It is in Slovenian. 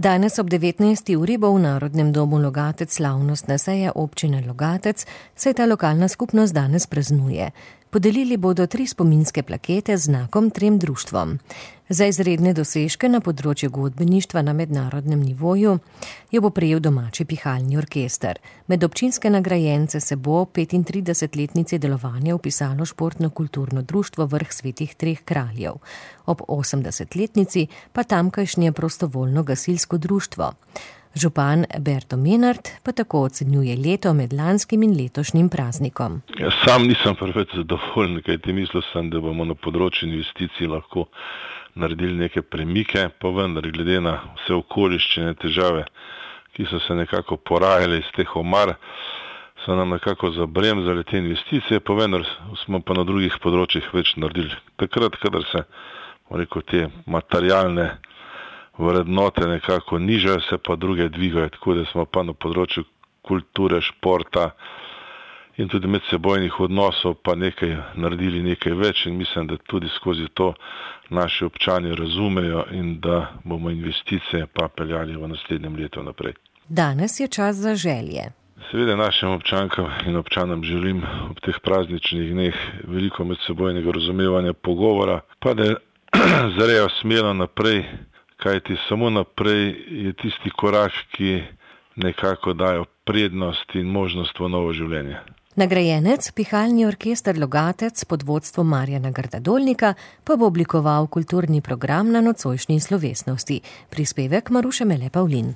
Danes ob 19. uri bo v Narodnem domu Logatec slavnostna seja občine Logatec, saj ta lokalna skupnost danes praznuje. Podelili bodo 3 spominske plakete z znakom 3 društvom. Za izredne dosežke na področju godbeništva na mednarodnem nivoju jo bo prejel domači pihalni orkester. Med občinske nagrajence se bo 35-letnici delovanja vpisalo športno-kulturno društvo Vrh svetih 3 kraljev. Ob 80-letnici pa tamkajšnje prostovoljno gasilsko društvo. Župan Berto Menard pa tako ocenjuje leto med lanskim in letošnjim praznikom. Sam nisem preveč zadovoljen, kajti mislil sem, da bomo na področju investicij lahko naredili neke premike, pa vendar glede na vse okoliščine, težave, ki so se nekako porajale iz teh omar, so nam nekako zabremzali te investicije, pa vendar smo pa na drugih področjih več naredili. Takrat, kadar se te materialne vrednote nekako nižajo, se pa druge dvigajo, tako da smo pa na področju kulture, športa in tudi medsebojnih odnosov pa nekaj naredili, nekaj več, in mislim, da tudi skozi to naši občani razumejo in da bomo investicije pa peljali v naslednjem letu naprej. Danes je čas za želje. Seveda našim občankam in občanom želim ob teh prazničnih dneh veliko medsebojnega razumevanja, pogovora, pa da zrejo smelo naprej, kajti samo naprej je tisti korak, ki nekako dajo prednost in možnost v novo življenje. Nagrajenec, pihalni orkester Logatec pod vodstvom Marjana Grdadolnika, pa bo oblikoval kulturni program na nocojšnji slovesnosti. Prispevek Maruše Mele Pavlin.